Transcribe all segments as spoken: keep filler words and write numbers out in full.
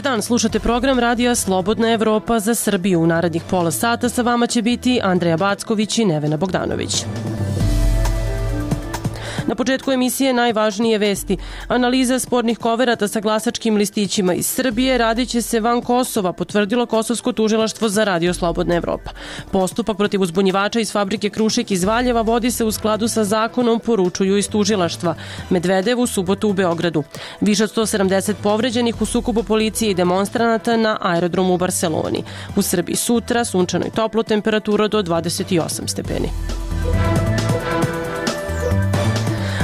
Dobar dan, slušate program Radija Slobodna Evropa za Srbiju. U narednih pola sata sa vama će biti Andreja Backović i Nevena Bogdanović. Na početku emisije najvažnije vesti. Analiza spornih koverata sa glasačkim listićima iz Srbije radit će se van Kosova, potvrdilo Kosovsko tužilaštvo za Radio Slobodna Evropa. Postupak protiv uzbunjivača iz fabrike Krušik iz Valjeva vodi se u skladu sa zakonom, poručuju iz tužilaštva. Medvedev u subotu u Beogradu. Više od sto sedamdeset povređenih u sukobu policije i demonstranata na aerodromu u Barseloni. U Srbiji sutra sunčano i toplo, temperatura do dvadeset osam stepeni.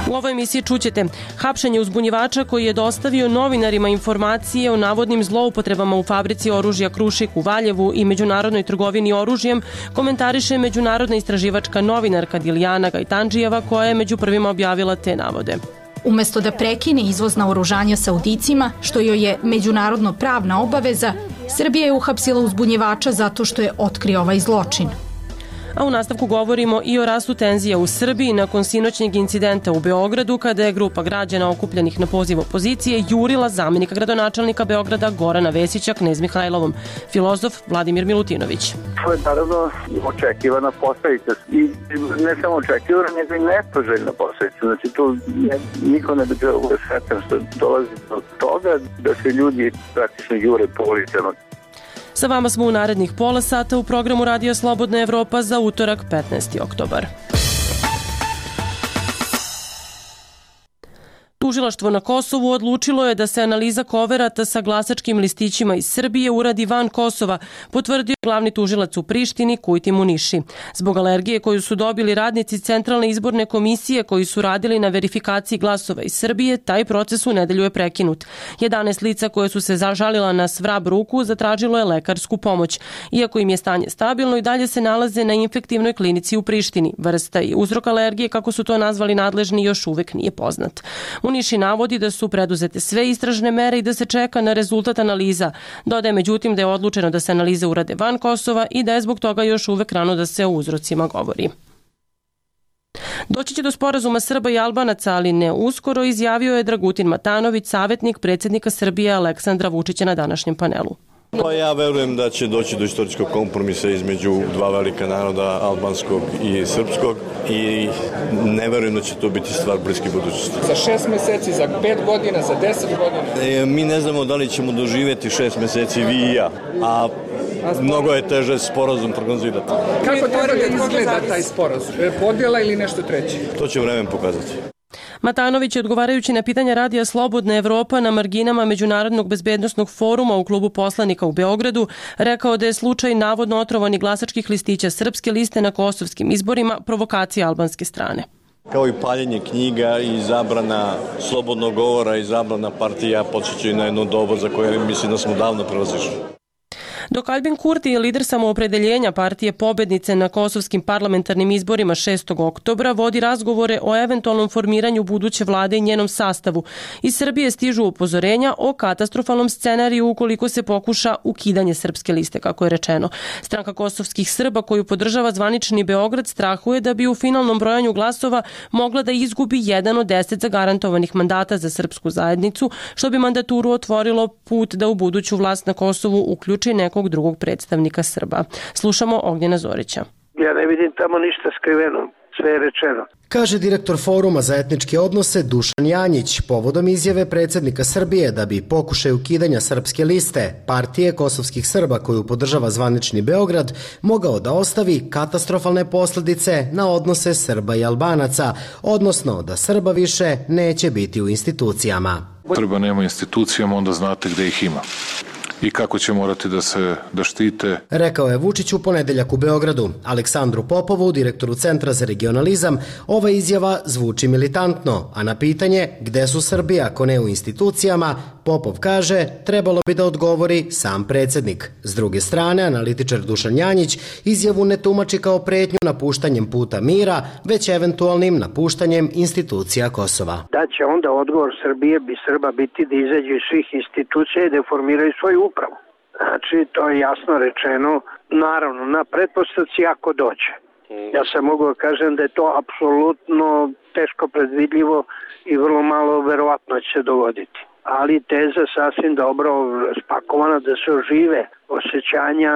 U ovoj emisiji čućete hapšenje uzbunjivača koji je dostavio novinarima informacije o navodnim zloupotrebama u fabrici oružja Krušik u Valjevu i međunarodnoj trgovini oružjem, komentariše međunarodna istraživačka novinarka Dilijana Gajtandžijeva koja je među prvima objavila te navode. Umesto da prekine izvoz naoružanja Saudicima, što joj je međunarodno pravna obaveza, Srbija je uhapsila uzbunjivača zato što je otkrio ovaj zločin. A u nastavku govorimo i o rastu tenzija u Srbiji nakon sinoćnjeg incidenta u Beogradu kada je grupa građana okupljenih na poziv opozicije jurila zamenika gradonačelnika Beograda Gorana Vesića Knez Mihajlovom. Filozof Vladimir Milutinović. To je naravno očekivana posledica i ne samo očekivana, nego i nepoželjna posledica. Znači tu ne, niko ne bi bio sretan što dolazi do toga da se ljudi praktično jure po ulicama. Sa vama smo u narednih pola sata u programu Radija Slobodna Evropa za utorak petnaesti oktobar. Tužilaštvo na Kosovu odlučilo je da se analiza koverata sa glasačkim listićima iz Srbije uradi van Kosova, potvrdio glavni tužilac u Prištini Kujti Muniši. Zbog alergije koju su dobili radnici Centralne izborne komisije koji su radili na verifikaciji glasova iz Srbije, taj proces u nedelju je prekinut. jedanaest lica koje su se zažalila na svrab ruku zatražilo je lekarsku pomoć. Iako im je stanje stabilno, i dalje se nalaze na infektivnoj klinici u Prištini. Vrsta i uzrok alergije, kako su to nazvali nadležni, još uvek nije poznat. Muniši navodi da su preduzete sve istražne mere i da se čeka na rezultat analiza. Dodaje međutim da je odlučeno da se analize urade van Kosova i da je zbog toga još uvek rano da se o uzrocima govori. Doći će do sporazuma Srba i Albanaca, ali ne uskoro, izjavio je Dragutin Matanović, savjetnik predsjednika Srbije Aleksandra Vučića na današnjem panelu. Pa ja verujem da će doći do istorijskog kompromisa između dva velika naroda, albanskog i srpskog, i ne verujem da će to biti stvar bliske budućnosti. Za šest meseci, za pet godina, za deset godina? E, mi ne znamo da li ćemo doživjeti šest meseci vi i ja, a mnogo je teže sporazum prognozirati. Kako treba da izgleda taj sporazum? Podjela ili nešto treće? To će vremen pokazati. Matanović je, odgovarajući na pitanja Radija Slobodna Evropa na marginama Međunarodnog bezbednosnog foruma u klubu poslanika u Beogradu, rekao da je slučaj navodno otrovanih glasačkih listića Srpske liste na kosovskim izborima provokacija albanske strane. Kao i paljenje knjiga i zabrana slobodnog govora i zabrana partija podsjećaju na jedno doba za koje mislim da smo davno prelazišli. Dok Albin Kurti, lider samoopredeljenja partije pobednice na kosovskim parlamentarnim izborima šestog oktobra, vodi razgovore o eventualnom formiranju buduće vlade i njenom sastavu. Iz Srbije stižu upozorenja o katastrofalnom scenariju ukoliko se pokuša ukidanje Srpske liste, kako je rečeno. Stranka kosovskih Srba koju podržava zvanični Beograd strahuje da bi u finalnom brojanju glasova mogla da izgubi jedan od deset zagarantovanih mandata za srpsku zajednicu, što bi mandaturu otvorilo put da u buduću vlast na Kosovu uključi nekog drugog predstavnika Srba. Slušamo Ognjena Zorića. Ja ne vidim tamo ništa skriveno, sve je rečeno. Kaže direktor Foruma za etničke odnose Dušan Janjić povodom izjave predsjednika Srbije da bi pokušaj ukidanja Srpske liste, partije kosovskih Srba koju podržava zvanični Beograd, mogao da ostavi katastrofalne posljedice na odnose Srba i Albanaca, odnosno da Srba više neće biti u institucijama. Srba nema institucijama, onda znate gde ih ima i kako će morati da se da štite. Rekao je Vučić u ponedeljak u Beogradu. Aleksandru Popovu, direktoru Centra za regionalizam, ova izjava zvuči militantno, a na pitanje gde su Srbi ako ne u institucijama, Popov kaže trebalo bi da odgovori sam predsjednik. S druge strane, analitičar Dušan Janjić izjavu ne tumači kao pretnju napuštanjem puta mira, već eventualnim napuštanjem institucija Kosova. Da će onda odgovor Srbije bi Srba biti da izađe iz svih institucija i da formiraju svoju upravu. Znači, to je jasno rečeno, naravno, na pretpostavci ako dođe. Ja sam mogu da kažem da je to apsolutno teško predvidljivo i vrlo malo verovatno će se dogoditi. ali teza sasvim dobro spakovana da se ožive osjećanja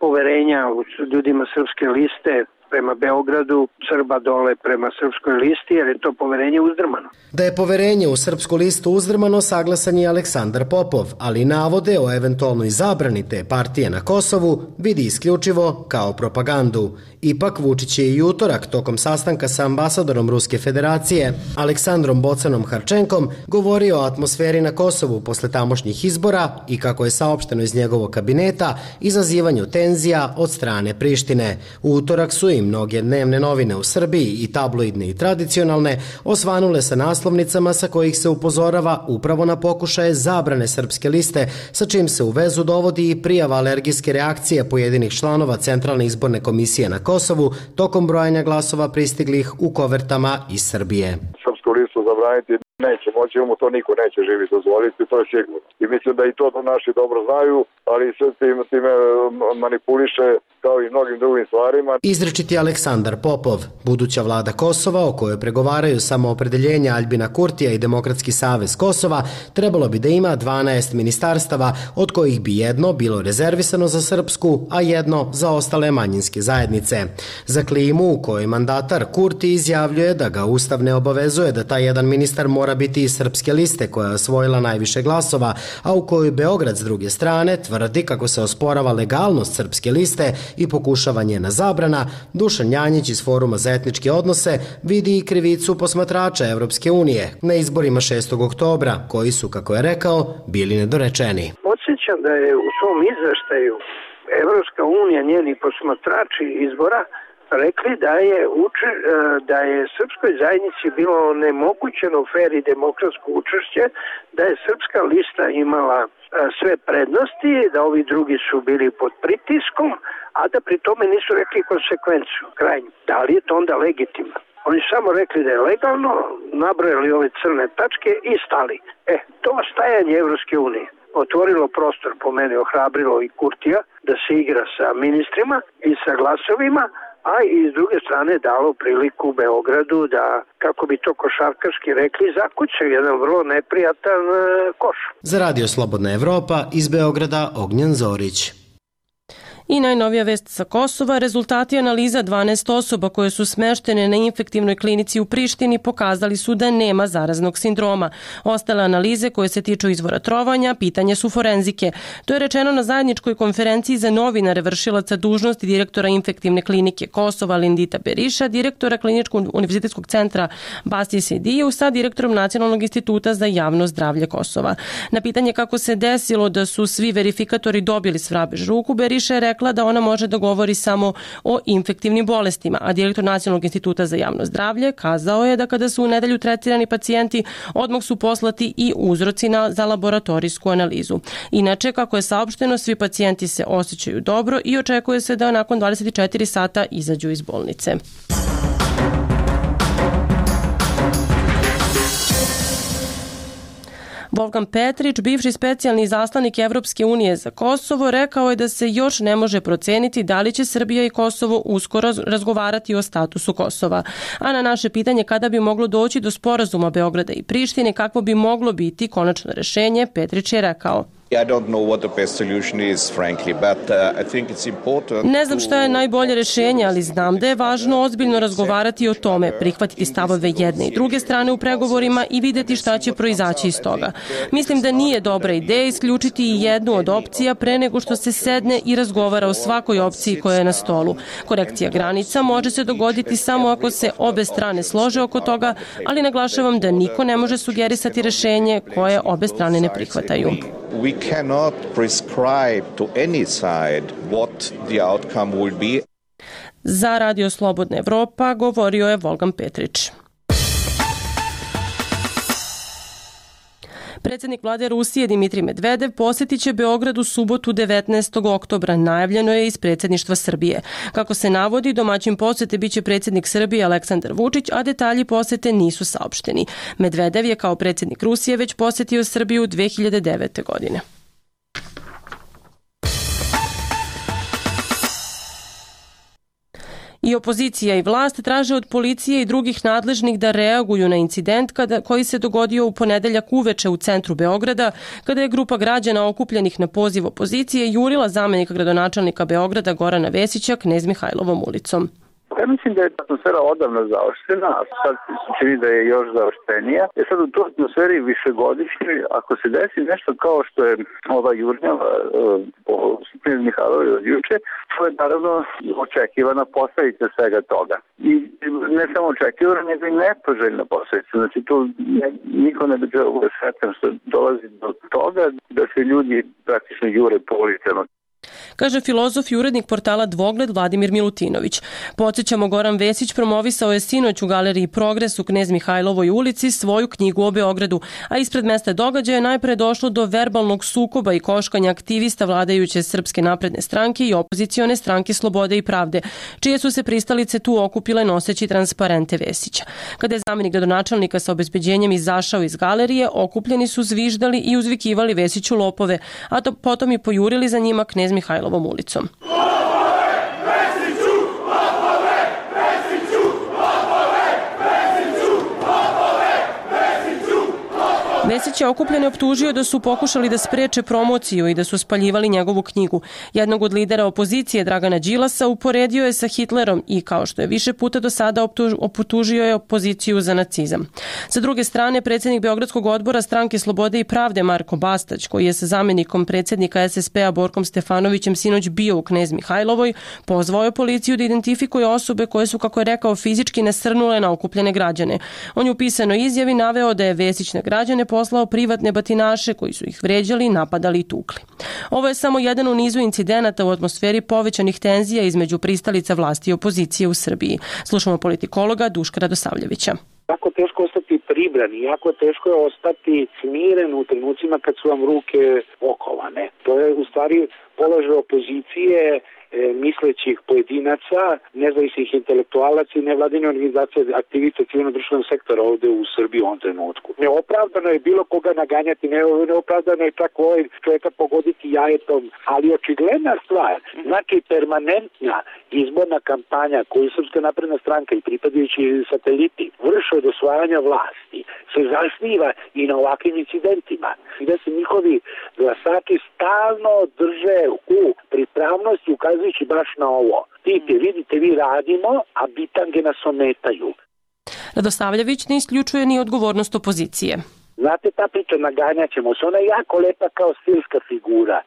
poverenja u ljudima Srpske liste prema Beogradu, Srba dole prema Srpskoj listi, jer je to poverenje uzdrmano. Da je poverenje u Srpsku listu uzdrmano saglasan je Aleksandar Popov, ali navode o eventualnoj zabrani te partije na Kosovu vidi isključivo kao propagandu. Ipak Vučić je i utorak tokom sastanka sa ambasadorom Ruske federacije Aleksandrom Bocanom Harčenkom govorio o atmosferi na Kosovu posle tamošnjih izbora i kako je saopšteno iz njegovog kabineta izazivanju tenzija od strane Prištine. U utorak su i mnoge dnevne novine u Srbiji i tabloidne i tradicionalne osvanule sa naslovnicama sa kojih se upozorava upravo na pokušaje zabrane Srpske liste, sa čim se u vezu dovodi i prijava alergijske reakcije pojedinih članova Centralne izborne komisije na Kosovu tokom brojanja glasova pristiglih u kovertama iz Srbije. Srpsku listu zabraniti neće moći, mu to niko neće živi dozvoliti, to je sigurno. I mislim da i to naši dobro znaju, ali sve time, time manipuliše kao i mnogim drugim stvarima. Izričiti Aleksandar Popov, buduća vlada Kosova o kojoj pregovaraju samoopredeljenja Aljbina Kurtija i Demokratski savez Kosova, trebalo bi da ima dvanaest ministarstava, od kojih bi jedno bilo rezervisano za srpsku, a jedno za ostale manjinske zajednice. Za klimu u kojoj mandatar Kurti izjavljuje da ga Ustav ne obavezuje da taj jedan ministar mora biti iz Srpske liste koja je osvojila najviše glasova, a u kojoj Beograd s druge strane tvrdi kako se osporava legalnost Srpske liste i pokušava njena zabrana, Dušan Janjić iz Foruma za etničke odnose vidi i krivicu posmatrača Evropske unije na izborima šestog oktobra, koji su, kako je rekao, bili nedorečeni. Podsjećam da je u svom izveštaju Evropska unija, njeni posmatrači izbora, rekli da je, uče, da je srpskoj zajednici bilo onemogućeno fer i demokratsko učešće, da je Srpska lista imala sve prednosti, da ovi drugi su bili pod pritiskom, a da pri tome nisu rekli konsekvenciju, krajnju. Da li je to onda legitimno? Oni samo rekli da je legalno, nabrojali ove crne tačke i stali. E, to stajanje Evropske unije otvorilo prostor, po meni ohrabrilo i Kurtija, da se igra sa ministrima i sa glasovima, a i s druge strane dalo priliku Beogradu da, kako bi to košarkaški rekli, zakucaju jedan vrlo neprijatan koš. Za Radio Slobodna Evropa iz Beograda Ognjen Zorić. I najnovija vest sa Kosova, rezultati analiza dvanaest osoba koje su smeštene na infektivnoj klinici u Prištini pokazali su da nema zaraznog sindroma. Ostale analize koje se tiču izvora trovanja, pitanje su forenzike. To je rečeno na zajedničkoj konferenciji za novinare vršilaca dužnosti direktora infektivne klinike Kosova Lindita Beriša, direktora Kliničkog univerzitetskog centra Basti Sediju sa direktorom Nacionalnog instituta za javno zdravlje Kosova. Na pitanje kako se desilo da su svi verifikatori dobili svrabeš ruku, Beriša je rekla da ona može da govori samo o infektivnim bolestima, a direktor Nacionalnog instituta za javno zdravlje kazao je da kada su u nedelju tretirani pacijenti, odmah su poslati i uzroci na, za laboratorijsku analizu. Inače, kako je saopšteno, svi pacijenti se osjećaju dobro i očekuje se da nakon dvadeset četiri sata izađu iz bolnice. Volkan Petrić, bivši specijalni izaslanik Evropske unije za Kosovo, rekao je da se još ne može proceniti da li će Srbija i Kosovo uskoro razgovarati o statusu Kosova. A na naše pitanje kada bi moglo doći do sporazuma Beograda i Prištine, kakvo bi moglo biti konačno rešenje, Petrić je rekao: Ne znam šta je najbolje rešenje, ali znam da je važno ozbiljno razgovarati o tome, prihvatiti stavove jedne i druge strane u pregovorima i videti šta će proizaći iz toga. Mislim da nije dobra ideja isključiti i jednu od opcija pre nego što se sedne i razgovara o svakoj opciji koja je na stolu. Korekcija granica može se dogoditi samo ako se obe strane slože oko toga, ali naglašavam da niko ne može sugerisati rešenje koje obe strane ne prihvataju. We cannot prescribe to any side what the outcome will be. Za Radio Slobodna Evropa govorio je Volkan Petrić. Predsjednik vlade Rusije Dimitrij Medvedev posjetit će Beograd u subotu devetnaestog oktobra, najavljeno je iz predsjedništva Srbije. Kako se navodi, domaćin posjete biće predsjednik Srbije Aleksandar Vučić, a detalji posjete nisu saopšteni. Medvedev je kao predsjednik Rusije već posjetio Srbiju dve hiljade devete. godine. I opozicija i vlast traže od policije i drugih nadležnih da reaguju na incident kada, koji se dogodio u ponedeljak uveče u centru Beograda, kada je grupa građana okupljenih na poziv opozicije jurila zamenika gradonačelnika Beograda Gorana Vesića Knez Mihajlovom ulicom. Ja mislim da je atmosfera odavno zaoštrena, a sad se čini da je još zaoštrenija. E sad u toj atmosferi višegodišnjoj, ako se desi nešto kao što je ova jurnjava po Knez Mihajlovoj od juče, to je naravno očekivana posledica svega toga. I ne samo očekivana, nego i nepoželjna posledica. Znači tu ne, niko ne bi trebao bude sretan što dolazi do toga da se ljudi praktično jure po ulicama. Kaže filozof i urednik portala Dvogled Vladimir Milutinović. Podsjećamo, Goran Vesić promovisao je sinoć u galeriji Progres u Knez Mihajlovoj ulici svoju knjigu o Beogradu, a ispred mesta događaja je najpre došlo do verbalnog sukoba i koškanja aktivista vladajuće Srpske napredne stranke i opozicione stranke Slobode i pravde, čije su se pristalice tu okupile noseći transparente Vesića. Kada je zamenik gradonačelnika sa obezbeđenjem izašao iz galerije, okupljeni su zviždali i uzvikivali Vesiću lopove, a to potom i pojurili za njima Knez Mihajlovom ulicom. Vesić je okupljene optužio da su pokušali da spreče promociju i da su spaljivali njegovu knjigu. Jednog od lidera opozicije, Dragana Đilasa, uporedio je sa Hitlerom i, kao što je više puta do sada optužio je opoziciju za nacizam. Sa druge strane, predsjednik Beogradskog odbora Stranke Slobode i pravde Marko Bastać, koji je sa zamenikom predsjednika es es pe-a Borkom Stefanovićem sinoć bio u Knez Mihajlovoj, pozvao je policiju da identifikuje osobe koje su, kako je rekao, fizički nasrnule na okupljene građane. On je u pisanoj izjavi naveo da je Vesić na građane poslao privatne batinaše koji su ih vređali, napadali i tukli. Ovo je samo jedan u nizu incidenata u atmosferi povećanih tenzija između pristalica vlasti i opozicije u Srbiji. Slušamo politikologa Duška Radosavljevića. Jako teško ostati pribran i jako teško je ostati smiren u trenucima kad su vam ruke okovane. To je u stvari položaj opozicije, mislećih pojedinaca, nezavisnih intelektualaca i nevladine organizacije aktivista civilno-društvenog sektora ovde u Srbiji u ovom trenutku. Neopravdano je bilo koga naganjati, neopravdano je čak ovaj čovjeka pogoditi jajetom, ali očigledna stvar, znači permanentna izborna kampanja koju Srpska napredna stranka i pripadajući sateliti vrše od osvajanja vlasti se zasniva i na ovakvim incidentima, gde se njihovi glasači stalno drže u pripravnosti ukazujući baš na ovo. Vidite, vidite, vi radimo, a bitange nas ometaju. Radosavljević ne isključuje ni odgovornost opozicije. Znate, ta priča naganjat ćemo se, ona je jako lepa kao stilska figura,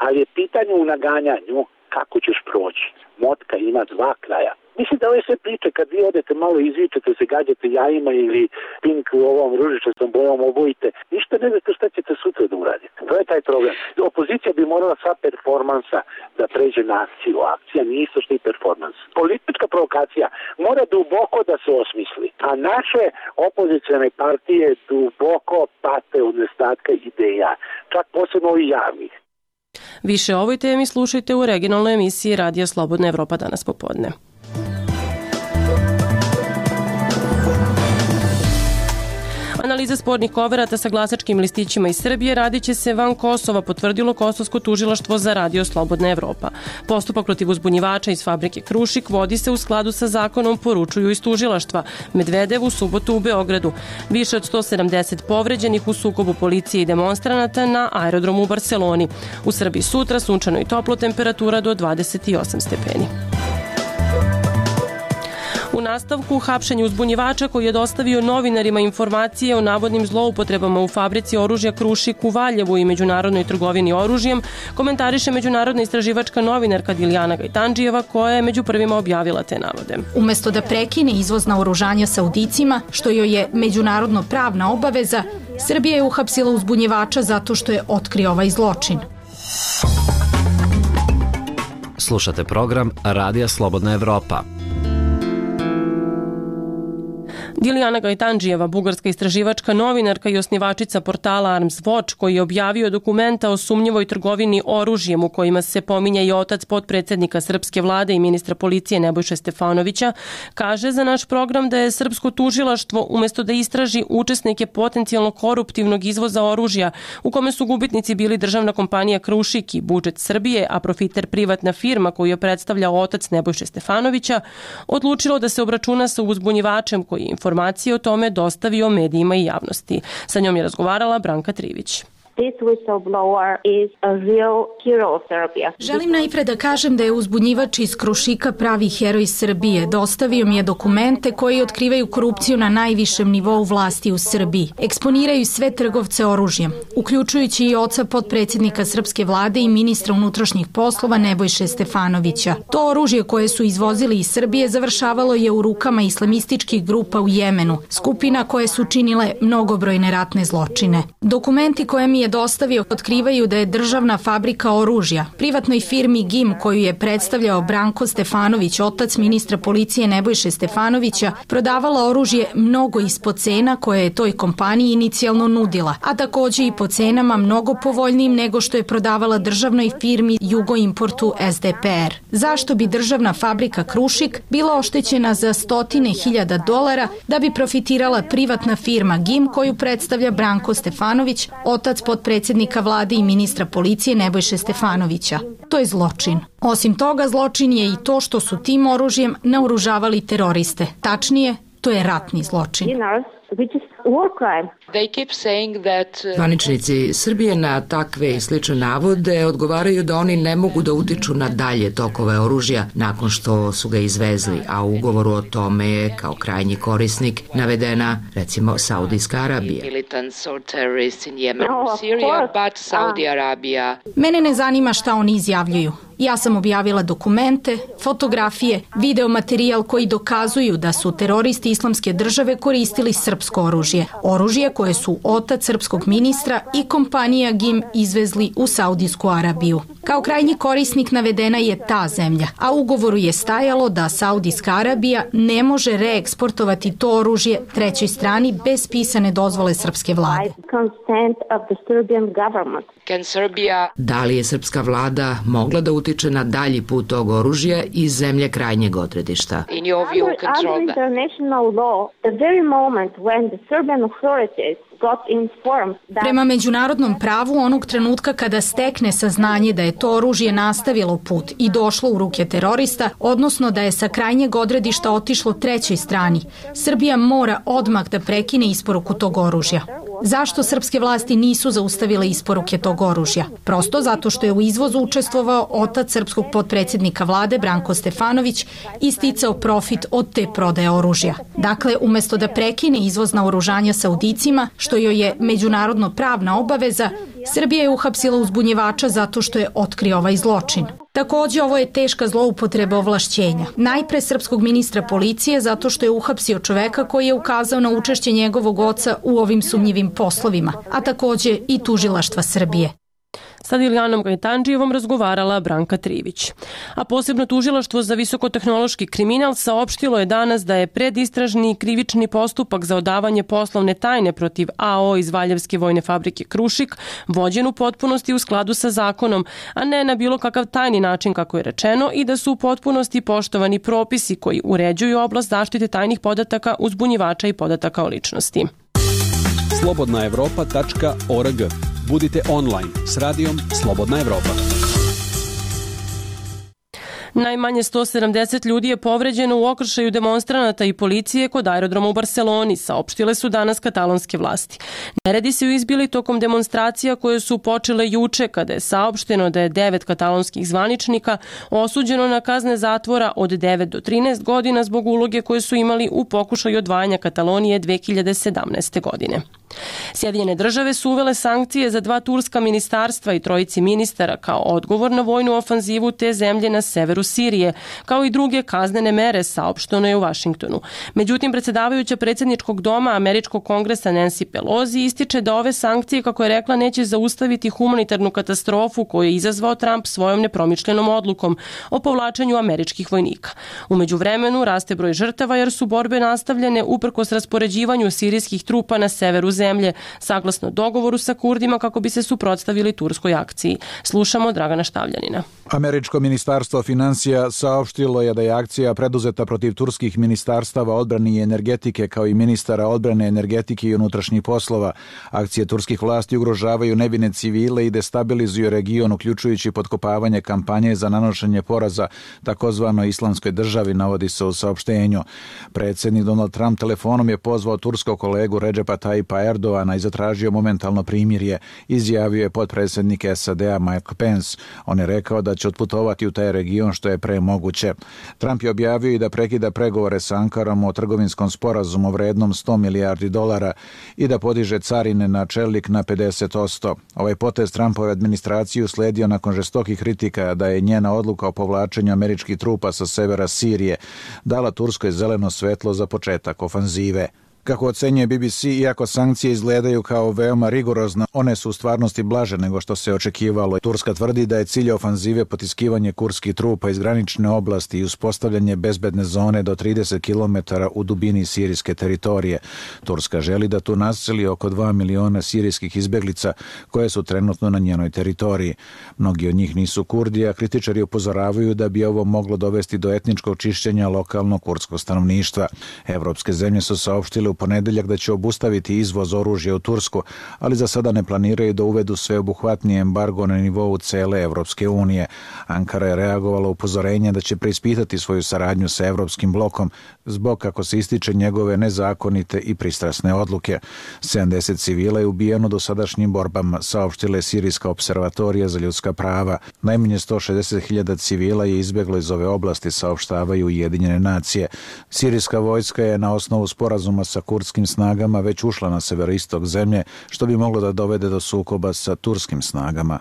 ali je pitanje u naganjanju kako ćeš proći. Motka ima dva kraja. Mislim da ove sve priče, kad vi odete malo izvičete, se gađate jajima ili pink u ovom ružičastom bojom obojite, ništa ne znate šta ćete sutra da uradite. To je taj problem. Opozicija bi morala sva performansa da pređe na akciju. Akcija nije isto što i performans. Politička provokacija mora duboko da se osmisli, a naše opozicione partije duboko pate od nedostatka ideja, čak posebno ovih javnih. Više o ovoj temi slušajte u regionalnoj emisiji Radija Slobodna Evropa danas popodne. Analiza spornih koverata sa glasačkim listićima iz Srbije radit će se van Kosova, potvrdilo Kosovsko tužilaštvo za Radio Slobodna Evropa. Postupak protiv uzbunjivača iz fabrike Krušik vodi se u skladu sa zakonom, poručuju iz tužilaštva. Medvedev u subotu u Beogradu. Više od sto sedamdeset povređenih u sukobu policije i demonstranata na aerodromu u Barseloni. U Srbiji sutra sunčano i toplo, temperatura do dvadeset osam stepeni. U nastavku, hapšenje uzbunjivača koji je dostavio novinarima informacije o navodnim zloupotrebama u fabrici oružja Krušik u Valjevu i međunarodnoj trgovini oružjem, komentariše međunarodna istraživačka novinarka Dilijana Gajtandžijeva, koja je među prvima objavila te navode. Umesto da prekine izvoz naoružanja Saudicima, što joj je međunarodno pravna obaveza, Srbija je uhapsila uzbunjivača zato što je otkrio ovaj zločin. Slušate program Radija Slobodna Evropa. Dilijana Gajtandžijeva, bugarska istraživačka novinarka i osnivačica portala Arms Watch, koji je objavio dokumenta o sumnjivoj trgovini oružjem u kojima se pominja i otac potpredsednika srpske vlade i ministra policije Nebojše Stefanovića, kaže za naš program da je srpsko tužilaštvo umesto da istraži učesnike potencijalno koruptivnog izvoza oružja u kome su gubitnici bili državna kompanija Krušik i budžet Srbije, a profiter privatna firma koju je predstavljao otac Nebojše Stefanovića, odlučilo da se obračuna sa uzbunjivačem koji je informacije o tome dostavio medijima i javnosti. Sa njom je razgovarala Branka Trivić. This whistleblower is a real hero of Serbia. Želim najpre da kažem da je uzbunjivač iz Krušika pravi heroj Srbije. Dostavio mi je dokumente koji otkrivaju korupciju na najvišem nivou vlasti u Srbiji. Eksponiraju sve trgovce oružjem, uključujući i oca potpredsjednika srpske vlade i ministra unutrašnjih poslova Nebojše Stefanovića. To oružje koje su izvozili iz Srbije završavalo je u rukama islamističkih grupa u Jemenu, skupina koje su činile mnogobrojne ratne zločine. Dokumenti koje mi je dostavio otkrivaju da je državna fabrika oružja privatnoj firmi G I M koju je predstavljao Branko Stefanović, otac ministra policije Nebojše Stefanovića, prodavala oružje mnogo ispod cena koje je toj kompaniji inicijalno nudila, a takođe i po cenama mnogo povoljnijim nego što je prodavala državnoj firmi Jugoimportu S D P R. Zašto bi državna fabrika Krušik bila oštećena za stotine hiljada dolara da bi profitirala privatna firma G I M koju predstavlja Branko Stefanović, otac potpredsjednika vlade i ministra policije Nebojše Stefanovića? To je zločin. Osim toga, zločin je i to što su tim oružjem naoružavali teroriste. Tačnije, to je ratni zločin. Zvaničnici Srbije na takve i slične navode odgovaraju da oni ne mogu da utiču na dalje tokove oružja nakon što su ga izvezli, a u ugovoru o tome je kao krajnji korisnik navedena recimo Saudijska Arabija. Mene ne zanima šta oni izjavljuju. Ja sam objavila dokumente, fotografije, videomaterijal koji dokazuju da su teroristi Islamske države koristili srpsko oružje. Oružje koje su otac srpskog ministra i kompanija G I M izvezli u Saudijsku Arabiju. Kao krajnji korisnik navedena je ta zemlja, a u ugovoru je stajalo da Saudijska Arabija ne može reeksportovati to oružje trećoj strani bez pisane dozvole srpske vlade. Da li je srpska vlada mogla da utiče na dalji put tog oružja iz zemlje krajnjeg odredišta? Prema međunarodnom pravu, onog trenutka kada stekne saznanje da je to oružje nastavilo put i došlo u ruke terorista, odnosno da je sa krajnjeg odredišta otišlo trećoj strani, Srbija mora odmah da prekine isporuku tog oružja. Zašto srpske vlasti nisu zaustavile isporuke tog oružja? Prosto zato što je u izvozu učestvovao otac srpskog potpredsjednika vlade Branko Stefanović i sticao profit od te prodaje oružja. Dakle, umesto da prekine izvoz naoružanja Saudicima, što joj je međunarodno pravna obaveza, Srbija je uhapsila uzbunjivača zato što je otkrio ovaj zločin. Takođe, ovo je teška zloupotreba ovlašćenja. Najpre srpskog ministra policije zato što je uhapsio čoveka koji je ukazao na učešće njegovog oca u ovim sumnjivim poslovima, a takođe i tužilaštva Srbije. Sa Dilijanom Gajtandžijevom razgovarala Branka Trivić. A posebno tužilaštvo za visokotehnološki kriminal saopštilo je danas da je predistražni krivični postupak za odavanje poslovne tajne protiv A O iz Valjevske vojne fabrike Krušik vođen u potpunosti u skladu sa zakonom, a ne na bilo kakav tajni način kako je rečeno, i da su u potpunosti poštovani propisi koji uređuju oblast zaštite tajnih podataka, uzbunjivača i podataka o ličnosti. slobodna evropa tačka org. Budite online s radijom Slobodna Evropa. Najmanje sto sedamdeset ljudi je povređeno u okršaju demonstranata i policije kod aerodroma u Barseloni, saopštile su danas katalonske vlasti. Neredi se izbili tokom demonstracija koje su počele juče, kada je saopšteno da je devet katalonskih zvaničnika osuđeno na kazne zatvora od devet do trinaest godina zbog uloge koje su imali u pokušaju odvajanja Katalonije dve hiljade sedamnaeste. godine. Sjedinjene države su uvele sankcije za dva turska ministarstva i trojici ministara kao odgovor na vojnu ofanzivu te zemlje na severu Sirije, kao i druge kaznene mere, saopšteno je u Vašingtonu. Međutim, predsjedavajuća predsjedničkog doma Američkog kongresa Nancy Pelosi ističe da ove sankcije, kako je rekla, neće zaustaviti humanitarnu katastrofu koju je izazvao Trump svojom nepromišljenom odlukom o povlačenju američkih vojnika. U međuvremenu raste broj žrtava jer su borbe nastavljene uprkos raspoređivanju sirijskih trupa na severu zemlje, saglasno dogovoru sa Kurdima kako bi se suprotstavili turskoj akciji. Slušamo Dragana Štavljanina. Američko ministarstvo financija saopštilo je da je akcija preduzeta protiv turskih ministarstava odbrane i energetike kao i ministara odbrane, energetike i unutrašnjih poslova. Akcije turskih vlasti ugrožavaju nevine civile i destabilizuju region, uključujući potkopavanje kampanje za nanošenje poraza takozvanoj islamskoj državi, navodi se u saopštenju. Predsjednik Donald Trump telefonom je pozvao turskog kolegu Redžepa Tayyipa Erdogana i zatražio momentalno primirje, izjavio je potpredsjednik S A D-a Mike Pence. On je rekao da će otputovati u taj region što je pre moguće. Trump je objavio i da prekida pregovore sa Ankarom o trgovinskom sporazumu vrednom sto milijardi dolara i da podiže carine na čelik na pedeset posto. Ovaj potez Trumpove administraciju sledio nakon žestokih kritika da je njena odluka o povlačenju američkih trupa sa severa Sirije dala Turskoj zeleno svetlo za početak ofanzive. Kako ocenjuje B B C, iako sankcije izgledaju kao veoma rigorozne, one su u stvarnosti blaže nego što se očekivalo. Turska tvrdi da je cilj ofanzive potiskivanje kurdskih trupa iz granične oblasti i uspostavljanje bezbedne zone do trideset kilometara u dubini sirijske teritorije. Turska želi da tu naseli oko dva miliona sirijskih izbeglica koje su trenutno na njenoj teritoriji. Mnogi od njih nisu Kurdi, a kritičari upozoravaju da bi ovo moglo dovesti do etničkog čišćenja lokalnog kurdskog stanovništva. Evropske zemlje su saopštile u ponedeljak da će obustaviti izvoz oružja u Tursku, ali za sada ne planiraju da uvedu sveobuhvatni embargo na nivou cele Evropske unije. Ankara je reagovala upozorenje da će preispitati svoju saradnju sa Evropskim blokom zbog, kako se ističe, njegove nezakonite i pristrasne odluke. sedamdeset civila je ubijeno do sadašnjim borbama, saopštila je Sirijska observatorija za ljudska prava. Najmanje sto šezdeset hiljada civila je izbjeglo iz ove oblasti, saopštavaju Ujedinjene nacije. Sirijska vojska je na osnovu sporazuma sa kurdskim snagama već ušla na severoistok zemlje, što bi moglo da dovede do sukoba sa turskim snagama.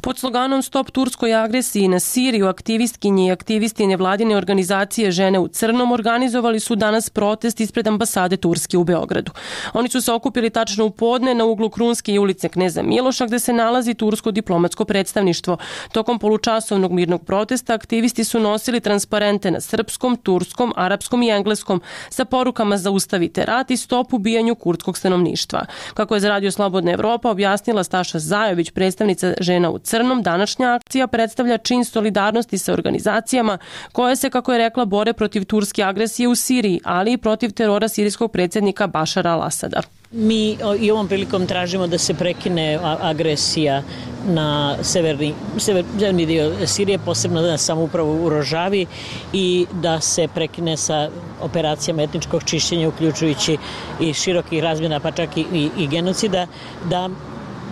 Pod sloganom Stop turskoj agresiji na Siriju, aktivistkinje i aktivisti nevladine organizacije Žene u crnom organizovali su danas protest ispred ambasade Turske u Beogradu. Oni su se okupili tačno u podne na uglu Krunske i ulice Kneza Miloša, gde se nalazi tursko diplomatsko predstavništvo. Tokom polučasovnog mirnog protesta aktivisti su nosili transparente na srpskom, turskom, arapskom i engleskom sa porukama zaustavite rat i stop ubijanju kurdskog stanovništva. Kako je za Radio Slobodna Evropa objasnila Staša Zajović, predstavnica Žena u crnom, današnja akcija predstavlja čin solidarnosti sa organizacijama koje se, kako je rekla, bore protiv turske agresije u Siriji, ali i protiv terora sirijskog predsjednika Bašara al-Asada. Mi i ovom prilikom tražimo da se prekine agresija na severni, severni dio Sirije, posebno na samoupravu u Rožavi, i da se prekine sa operacijama etničkog čišćenja, uključujući i širokih razmjena, pa čak i, i, i genocida, da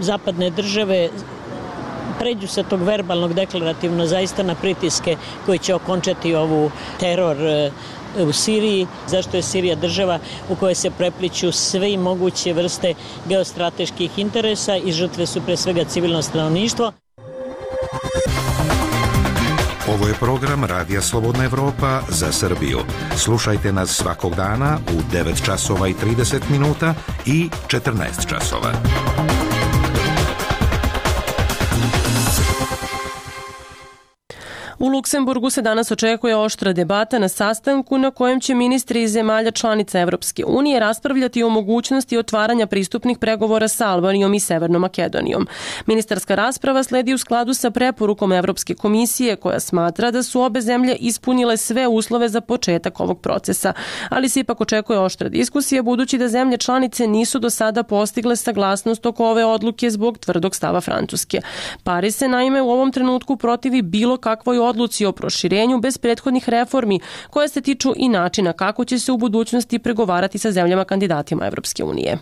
zapadne države pređu sa tog verbalnog deklarativno zaista na pritiske koji će okončati ovu teror u Siriji, zašto je Sirija država u kojoj se prepliću sve i moguće vrste geostrateških interesa i žrtve su pre svega civilno stanovništvo. Ovo je program Radija Slobodna Evropa za Srbiju. Slušajte nas svakog dana u devet časova i trideset minuta i četrnaest časova. U Luksemburgu se danas očekuje oštra debata na sastanku na kojem će ministri iz zemalja članica Evropske unije raspravljati o mogućnosti otvaranja pristupnih pregovora sa Albanijom i Severnom Makedonijom. Ministarska rasprava sledi u skladu sa preporukom Evropske komisije koja smatra da su obe zemlje ispunile sve uslove za početak ovog procesa, ali se ipak očekuje oštra diskusija budući da zemlje članice nisu do sada postigle saglasnost oko ove odluke zbog tvrdog stava Francuske. Pariz se naime u ovom trenutku protivi bilo kakvoj odluci o proširenju bez prethodnih reformi koje se tiču i načina kako će se u budućnosti pregovarati sa zemljama kandidatima Evropske unije.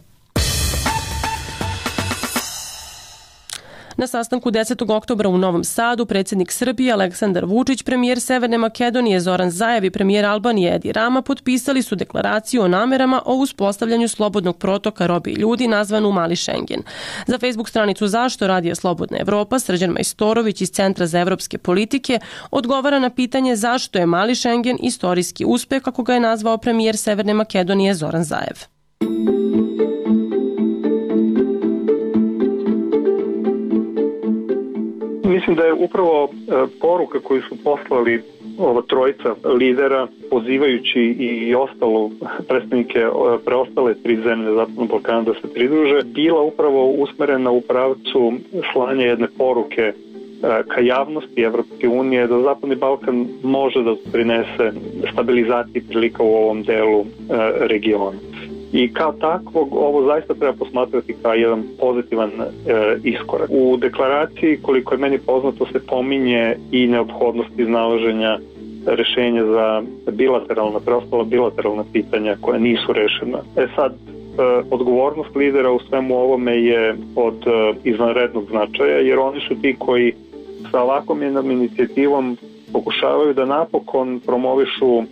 Na sastanku desetog oktobra u Novom Sadu predsjednik Srbije Aleksandar Vučić, premijer Severne Makedonije Zoran Zaev i premijer Albanije Edi Rama potpisali su deklaraciju o namerama o uspostavljanju slobodnog protoka robe i ljudi nazvanu Mali Šengen. Za Facebook stranicu Zašto radija Slobodna Evropa Srđan Majstorović iz Centra za evropske politike odgovara na pitanje zašto je Mali Šengen istorijski uspeh, kako ga je nazvao premijer Severne Makedonije Zoran Zaev. Mislim da je upravo poruka koju su poslali ova trojica lidera, pozivajući i ostalo predstavnike preostale tri zemlje Zapadnog Balkana da se pridruže, bila upravo usmerena u pravcu slanja jedne poruke ka javnosti Evropske unije da Zapadni Balkan može da prinese stabilizaciji prilika u ovom delu regiona. I kao takvog ovo zaista treba posmatrati kao jedan pozitivan e, iskorak. U deklaraciji, koliko je meni poznato, se pominje i neophodnost iznalaženja rešenja za bilateralna, preostala bilateralna pitanja koja nisu rešena. E sad, e, odgovornost lidera u svemu ovome je od e, izvanrednog značaja, jer oni su ti koji sa ovakvom jednom inicijativom pokušavaju da napokon promovišu e,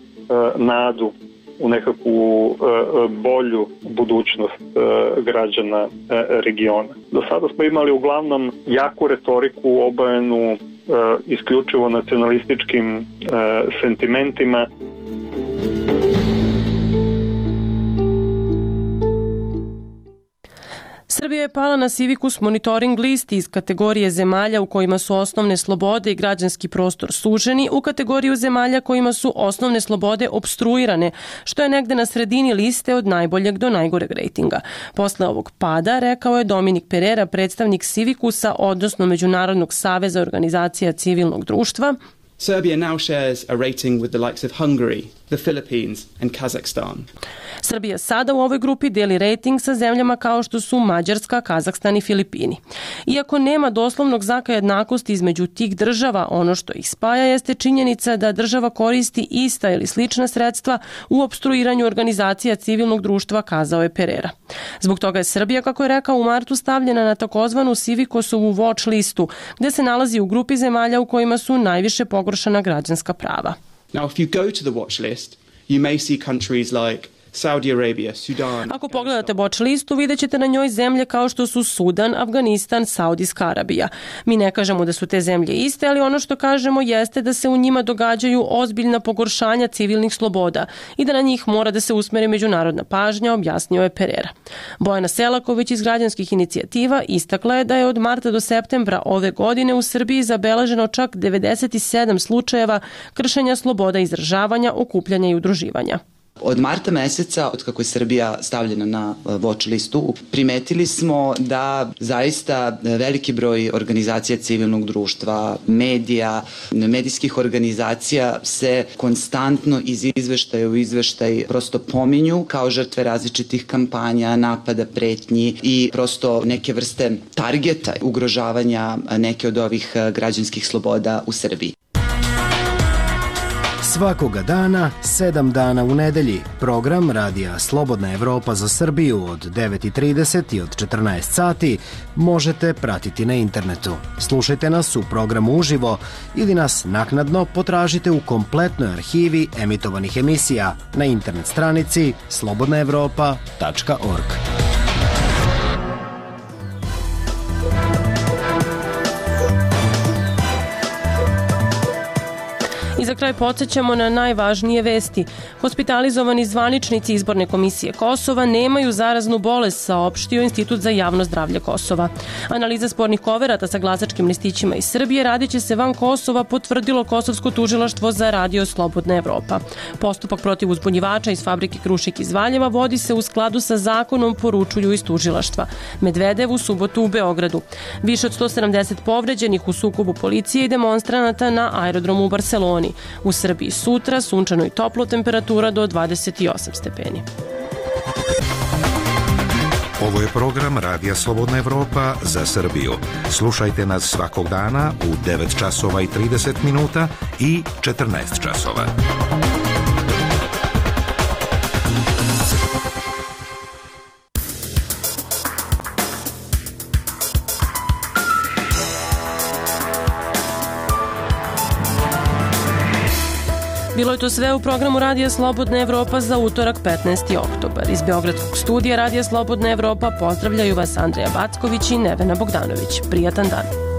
nadu u nekakvu e, bolju budućnost e, građana e, regiona. Do sada smo imali uglavnom jaku retoriku obojenu e, isključivo nacionalističkim e, sentimentima. Srbija je pala na Civicus monitoring listi iz kategorije zemalja u kojima su osnovne slobode i građanski prostor suženi u kategoriju zemalja kojima su osnovne slobode opstruirane, što je negde na sredini liste od najboljeg do najgoreg rejtinga. Posle ovog pada, rekao je Dominik Perera, predstavnik Civicusa, odnosno Međunarodnog saveza organizacija civilnog društva. Serbia now shares a rating with the likes of Hungary, the Philippines and Kazakhstan. Srbija sada u ovoj grupi deli rejting sa zemljama kao što su Mađarska, Kazahstan i Filipini. Iako nema doslovnog znaka jednakosti između tih država, ono što ih spaja jeste činjenica da država koristi ista ili slična sredstva u opstruiranju organizacija civilnog društva, kazao je Perera. Zbog toga je Srbija, kako je rekao, u martu stavljena na takozvanu Civicosovu watch listu, gde se nalazi u grupi zemalja u kojima su najviše pogoršana građanska prava. Now, if you go to the watch list, you may see countries like Saudi Arabia, Sudan. Ako pogledate watch listu, vidjet ćete na njoj zemlje kao što su Sudan, Afganistan, Saudijska Arabija. Mi ne kažemo da su te zemlje iste, ali ono što kažemo jeste da se u njima događaju ozbiljna pogoršanja civilnih sloboda i da na njih mora da se usmeri međunarodna pažnja, objasnio je Perera. Bojana Selaković iz građanskih inicijativa istakla je da je od marta do septembra ove godine u Srbiji zabeleženo čak devedeset sedam slučajeva kršenja sloboda izražavanja, okupljanja i udruživanja. Od marta meseca, od kako je Srbija stavljena na watch listu, primetili smo da zaista veliki broj organizacija civilnog društva, medija, medijskih organizacija se konstantno iz izveštaja u izveštaj prosto pominju kao žrtve različitih kampanja, napada, pretnji i prosto neke vrste targeta ugrožavanja neke od ovih građanskih sloboda u Srbiji. Svakoga dana, sedam dana u nedelji, program radija Slobodna Evropa za Srbiju od devet i trideset i od četrnaest sati možete pratiti na internetu. Slušajte nas u programu uživo ili nas naknadno potražite u kompletnoj arhivi emitovanih emisija na internet stranici slobodna evropa tačka org. I za kraj podsjećamo na najvažnije vesti. Hospitalizovani zvaničnici Izborne komisije Kosova nemaju zaraznu bolest, saopštio Institut za javno zdravlje Kosova. Analiza spornih koverata sa glasačkim listićima iz Srbije radit će se van Kosova, potvrdilo Kosovsko tužilaštvo za radio Slobodna Evropa. Postupak protiv uzbunjivača iz fabrike Krušik iz Valjeva vodi se u skladu sa zakonom, poručuju iz tužilaštva. Medvedev u subotu u Beogradu. Više od sto sedamdeset povređenih u sukobu policije i demonstranata na aerodromu u Barseloni. U Srbiji sutra sunčano i toplo, temperatura do dvadeset osam stepeni. Ovo je program Radija Slobodna Evropa za Srbiju. Slušajte nas svakog dana u devet časova i trideset minuta i četrnaest časova. Bilo je to sve u programu Radija Slobodna Evropa za utorak petnaesti oktobar. Iz Beogradskog studija Radija Slobodna Evropa pozdravljaju vas Andreja Backović i Nevena Bogdanović. Prijatan dan.